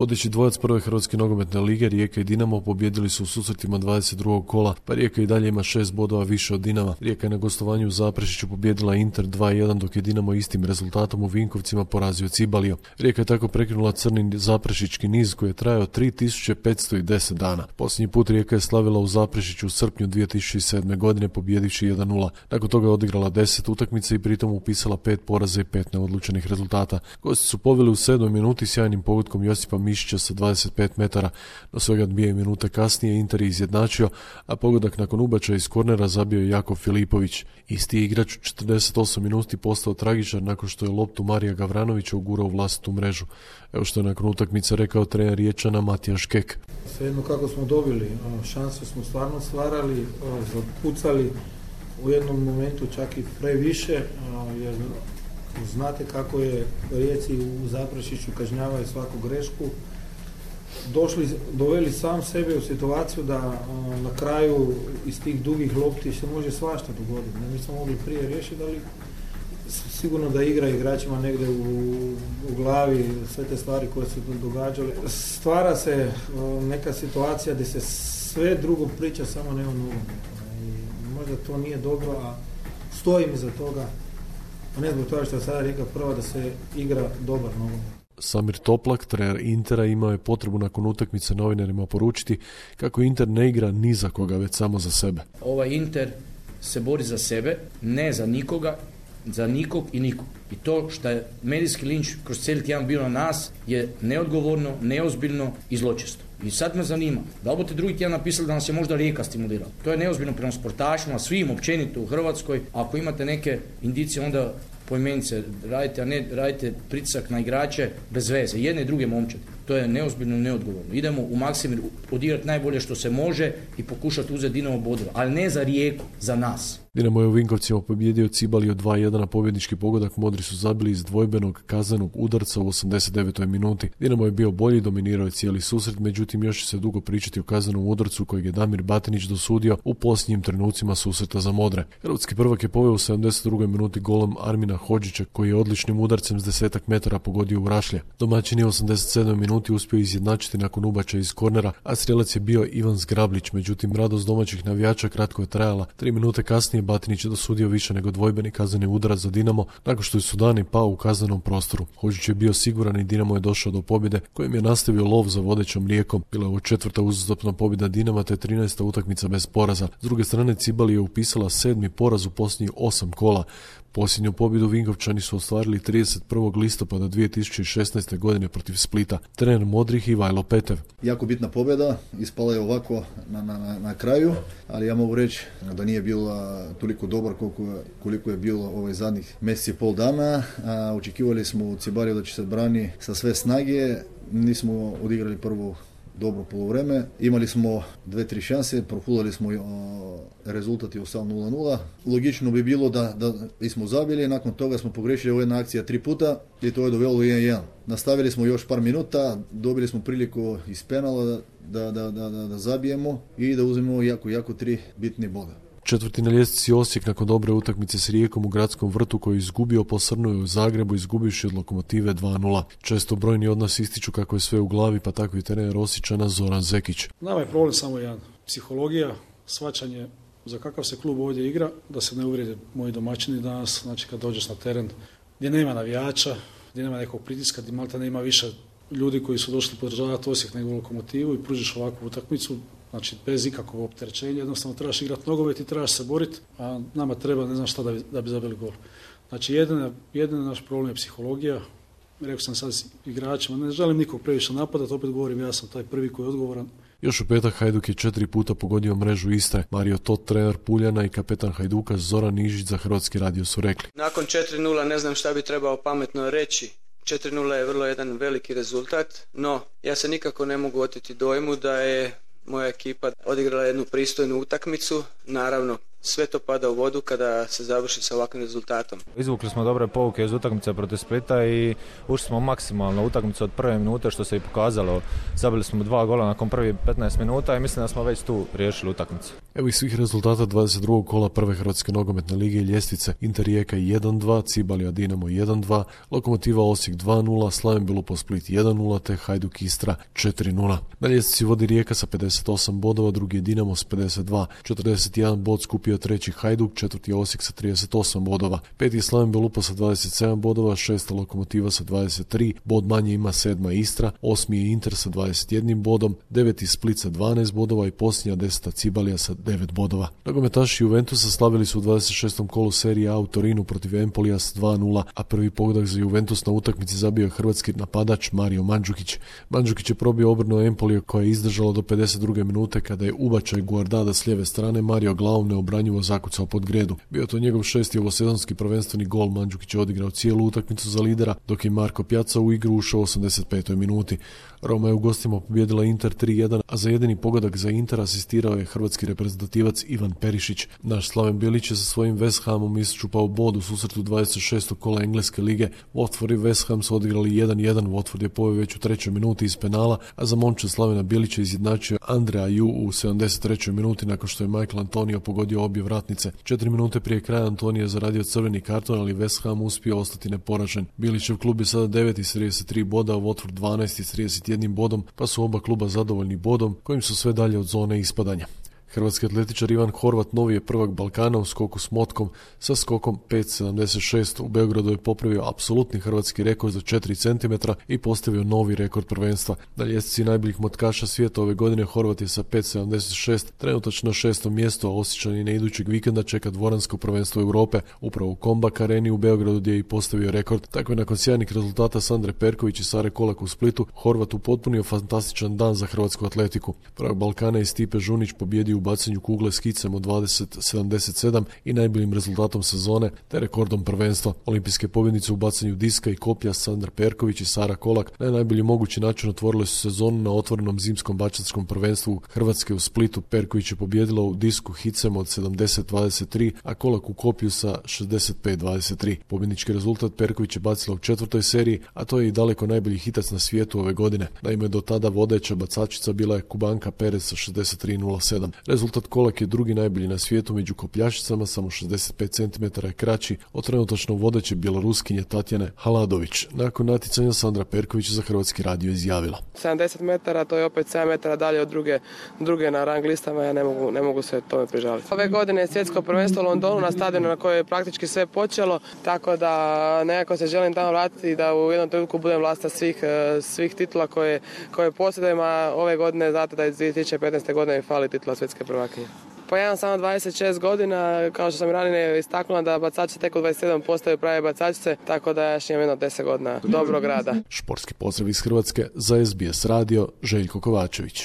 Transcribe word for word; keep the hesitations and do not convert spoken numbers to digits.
Vodeći dvojac prve Hrvatske nogometne lige, Rijeka i Dinamo pobijedili su u susretima dvadeset drugog kola, pa Rijeka i dalje ima šest bodova više od Dinama. Rijeka je na gostovanju u Zaprešiću pobijedila Inter dva jedan, dok je Dinamo istim rezultatom u Vinkovcima porazio Cibaliju. Rijeka je tako prekinula crni zaprešićki niz koji je trajao tri tisuće petsto deset dana. Posljednji put Rijeka je slavila u Zaprešiću u srpnju dvije tisuće sedme. godine pobjedivši jedan nula. Nakon toga je odigrala deset utakmica i pritom upisala pet poraza i pet neodlučenih rezultata. Gosti su poveli u sedmoj minuti sjajnim pogodkom Josipa Mišića sa dvadeset pet metara, no svega dvije minute kasnije Inter je izjednačio, a pogodak nakon ubačaja iz kornera zabio je Jakov Filipović. Isti igrač u četrdeset osam minuti postao tragičan nakon što je loptu Marija Gavranovića ugurao u vlastitu mrežu. Evo što je nakon utakmice rekao trener Riječana Matija Škek. Svejedno kako smo dobili, šanse smo stvarno stvarali, zapucali u jednom momentu čak i previše, jer znate kako je Rijeci u Zaprešiću kažnjavaju svaku grešku. Došli, doveli sam sebe u situaciju da na kraju iz tih dugih lopti se može svašta dogoditi. Mi smo mogli prije riješiti, ali sigurno da igra igračima negdje u, u glavi sve te stvari koje su događale. Stvara se neka situacija gdje se sve drugo priča, samo ne o nogometu. Možda to nije dobro, a stojim iza toga, a ne zbog toga što je sada Rijeka prva da se igra dobar nogomet. Samir Toplak, trener Intera, imao je potrebu nakon utakmice novinarima poručiti kako Inter ne igra ni za koga, već samo za sebe. Ovaj Inter se bori za sebe, ne za nikoga, za nikog i nikog. I to što je medijski linč kroz cijeli tjedan bio na nas je neodgovorno, neozbiljno i zločesto. I sad me zanima, da li budete drugi tjedan napisali da nas je možda Rijeka stimulirala. To je neozbiljno prema sportašima, svim općenito u Hrvatskoj. Ako imate neke indicije, onda poimenice radite, a ne radite pritisak na igrače bez veze. Jedne i druge momčadi. To je neozbiljno i neodgovorno. Idemo u Maksimir odigrati najbolje što se može i pokušati uzeti Dinamo bodova. Ali ne za Rijeku, za nas. Dinamo je u Vinkovcima pobjedio Cibaliju dva jedan, na pobjednički pogodak modri su zabili iz dvojbenog kaznenog udarca u osamdeset devetoj minuti. Dinamo je bio bolji, dominirao je cijeli susret, međutim još će se dugo pričati o kaznenom udarcu kojeg je Damir Batinić dosudio u posljednjim trenucima susreta za modre. Hrvatski prvak je poveo u sedamdeset drugoj minuti golom Armina Hodžića koji je odličnim udarcem s desetak metara pogodio u rašlje. Domaćin je u osamdeset sedmoj minuti uspio izjednačiti nakon ubačaja iz kornera, a strijelac je bio Ivan Zgrablić, međutim radost domaćih navijača kratko je trajala. Tri minute kasnije Batinić je dosudio više nego dvojbeni kazneni udarac za Dinamo nakon što je Sudani pao u kaznenom prostoru. Hodžić je bio siguran i Dinamo je došao do pobjede kojim je nastavio lov za vodećom Rijekom. Bila je ovo četvrta uzastopna pobjeda Dinama te trinaesta utakmica bez poraza. S druge strane Cibali je upisala sedmi poraz u posljednjih osam kola. Posljednju pobjedu Vinkovčani su ostvarili trideset prvog listopada dvije tisuće šesnaeste. godine protiv Splita. Trener Modrih Ivajlo Petev. Jako bitna pobjeda, ispala je ovako na, na, na kraju, ali ja mogu reći da nije bila toliko dobar koliko, koliko je bilo ovaj zadnjih mjesec i pol dana. A, očekivali smo u Cibaliju da će se brani sa sve snage, nismo odigrali prvu dobro polovreme. Imali smo dve, tri šanse, profulali smo o, rezultat je ostao nula nula. Logično bi bilo da, da smo zabili, nakon toga smo pogrešili u jedna akcija tri puta i to je dovelo jedan jedan. Nastavili smo još par minuta, dobili smo priliku iz penala da, da, da, da, da zabijemo i da uzmemo jako, jako tri bitne boda. Četvrti na ljestvici Osijek nakon dobre utakmice s Rijekom u Gradskom vrtu koju je izgubio posrnuo je u Zagrebu izgubivši od Lokomotive dva nula. Često brojni od nas ističu kako je sve u glavi, pa tako i trener Osiječana Zoran Zekić. Nama je problem samo jedan. Psihologija, shvaćanje za kakav se klub ovdje igra, da se ne uvrijede moji domaćini danas, znači kad dođeš na teren gdje nema navijača, gdje nema nekog pritiska, gdje malta nema više ljudi koji su došli podržavati Osijek nego Lokomotivu i pružiš ovakvu utakmicu. Znači, bez ikakvog opterećenja, jednostavno trebaš igrati nogomet i trebaš se boriti, a nama treba ne znam šta da bi, da bi zabili gol. Znači, jedina, jedina naš problem je psihologija. Rekao sam sad igračima, ne želim nikog previše napadati, opet govorim, ja sam taj prvi koji je odgovoran. Još u petak Hajduk je četiri puta pogodio mrežu Istre. Mario Tot, trener Puljana i kapetan Hajduka Zoran Nižić za Hrvatski radio su rekli. Nakon četiri nula ne znam šta bi trebao pametno reći. četiri nula je vrlo jedan veliki rezultat, no ja se nikako ne mogu oteti dojmu da je moja ekipa odigrala jednu pristojnu utakmicu. Naravno, sve to pada u vodu kada se završi sa ovakvim rezultatom. Izvukli smo dobre pouke iz utakmice protiv Splita i ušli smo maksimalno utakmicu od prve minute, što se i pokazalo. Zabili smo dva gola nakon prvih petnaest minuta i mislim da smo već tu riješili utakmicu. Evo ih svih rezultata dvadeset drugog kola prve Hrvatske nogometne lige i ljestvice. Inter Rijeka jedan dva, Cibalija Dinamo jedan dva, Lokomotiva Osijek dva nula, Slaven Belupo Split jedan nula te Hajduk Istra četiri nula. Na ljestvici vodi Rijeka sa pedeset osam bodova, drugi je Dinamo s pedeset dva, četrdeset jedan bod skupio treći Hajduk, četvrti je Osijek sa trideset osam bodova, peti je Slaven Belupo sa dvadeset sedam bodova, šesta Lokomotiva sa dvadeset tri, bod manje ima sedma Istra, osmi je Inter sa dvadeset jedan bodom, deveti Split sa dvanaest bodova i posljednja deseta Cibalija sa devet bodova. Nogometaši Juventusa slavili su u dvadeset šestom kolu serije A u Torinu protiv Empolija s dva nula, a prvi pogodak za Juventus na utakmici zabio je hrvatski napadač Mario Mandžukić. Mandžukić je probio obrnu Empolija koja je izdržala do pedeset druge minute kada je ubačaj Guardada s lijeve strane Mario glavom neobranjivo zakucao pod gredu. Bio to njegov šesti ovosezonski prvenstveni gol. Mandžukić je odigrao cijelu utakmicu za lidera, dok je Marko Pjaca u igru ušao u osamdeset petoj minuti. Roma je u gostima pobijedila Inter tri jedan, a za jedini pogodak za Inter asistirao je hrvatski reprezentativac Ivan Perišić. Naš Slaven Bilić je sa svojim West Hamom isčupao bod u susretu dvadeset šestog kola Engleske lige. Watford i West Ham su odigrali jedan jedan, Watford je poveo već u trećoj minuti iz penala, a za momče Slavena Bilića izjednačio Andrea Ju u sedamdeset trećoj minuti nakon što je Michael Antonio pogodio obje vratnice. Četiri minute prije kraja Antonio je zaradio crveni karton, ali West Ham uspio ostati neporažen. Bilićev klub je sada deveti s trideset tri boda, a Watford dvanaesti s trideset jednim bodom, pa su oba kluba zadovoljni bodom kojim su sve dalje od zone ispadanja. Hrvatski atletičar Ivan Horvat novi je prvak Balkana u skoku s motkom sa skokom pet sedamdeset šest. U Beogradu je popravio apsolutni hrvatski rekord za četiri centimetra i postavio novi rekord prvenstva. Na ljestvici najboljih motkaša svijeta ove godine Horvat je sa pet sedamdeset šest trenutačno na šestom mjestu, a Osječanina idućeg vikenda čeka dvoransko prvenstvo Europe upravo u Kombak Areni u Beogradu gdje je i postavio rekord. Tako je nakon sjajnih rezultata Sandre Perković i Sare Kolak u Splitu Horvat upotpunio fantastičan dan za hrvatsku atletiku. Prvak Balkana je Stipe Žunić pobjedio u bacanju kugle s kicem od dvadeset sedamdeset sedam i najboljim rezultatom sezone te rekordom prvenstva. Olimpijske pobjednice u bacanju diska i koplja Sandra Perković i Sara Kolak na najbolji mogući način otvorile su sezonu na otvorenom zimskom bačanskom prvenstvu Hrvatske u Splitu. Perković je pobijedila u disku hicem od sedamdeset dvadeset tri, a Kolak u koplju sa šezdeset pet dvadeset tri. Pobjednički rezultat Perković je bacila u četvrtoj seriji, a to je i daleko najbolji hitac na svijetu ove godine. Naime, do tada vodeća bacačica bila je Kubanka Perez sa šezdeset tri nula sedam. Rezultat Kolak je drugi najbolji na svijetu među kopljašicama, samo šezdeset pet centimetara je kraći od trenutačno vodeće bjeloruskinje Tatjane Haladović. Nakon natjecanja Sandra Perković za Hrvatski radio izjavila: sedamdeset metara, to je opet sedam metara dalje od druge, druge na rang listama, ja ne mogu, ne mogu se tome prižaliti. Ove godine je svjetsko prvenstvo u Londonu na stadionu na kojoj je praktički sve počelo, tako da nekako se želim tamo vratiti i da u jednom trenutku budem vlasta svih, svih titula koje, koje posjedujem, a ove godine znate da je dvije tisuće petnaeste godine fali titula svjetske prvakinje. Pa ja imam samo dvadeset šest godina, kao što sam ranije istaknula da bacači tek u dvadeset sedam postaju prave bacačice, tako da ja još imam jedno deset godina dobrog rada. Športski pozdrav iz Hrvatske za S B S radio, Željko Kovačević.